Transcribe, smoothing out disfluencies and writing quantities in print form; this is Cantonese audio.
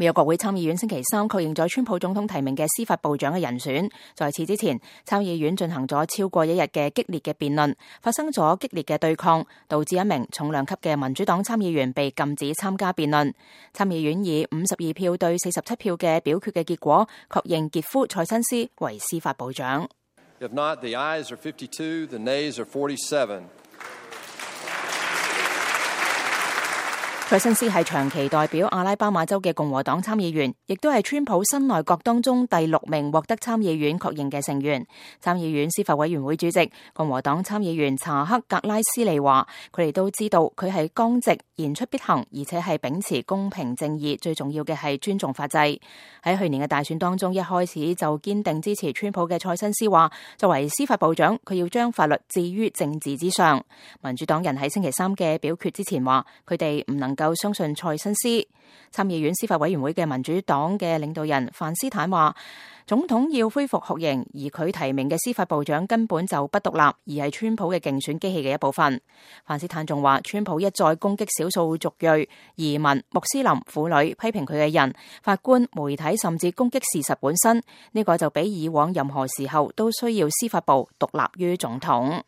美國國會參議院星期三確認咗川普總統提名嘅司法部長嘅人選。在此之前，參議院進行咗超過一日嘅激烈嘅辯論，發生咗激烈嘅對抗，導致一名重量級嘅民主黨參議員被禁止參加辯論。參議院以52票對47票嘅表決嘅結果，確認傑夫蔡新斯為司法部長。If not, the ayes are 52, the nays are 47. 蔡新斯係長期代表阿拉巴馬州嘅共和黨參議員，亦都係川普新內閣當中第6名獲得參議院確認嘅成員。參議院司法委員會主席共和黨參議員查克格拉斯利話，佢哋都知道佢係剛直、言出必行，而且係秉持公平正義，最重要嘅係尊重法制。喺去年嘅大選當中，一開始就堅定支持川普嘅蔡新斯話，作為司法部長，佢要將法律置於政治之上。民主黨人喺星期三嘅表決之前話，佢哋唔能夠相信蔡新斯。參議院司法委員會嘅民主黨嘅領導人范斯坦話，總統要恢復酷刑，而佢提名嘅司法部長根本就不獨立，而係川普嘅競選機器嘅一部分。范斯坦仲話，川普一再攻擊少數族裔、移民、穆斯林、婦女，批評佢嘅人、法官、媒體，甚至攻擊事實本身。呢個就比以往任何時候都需要司法部獨立於總統。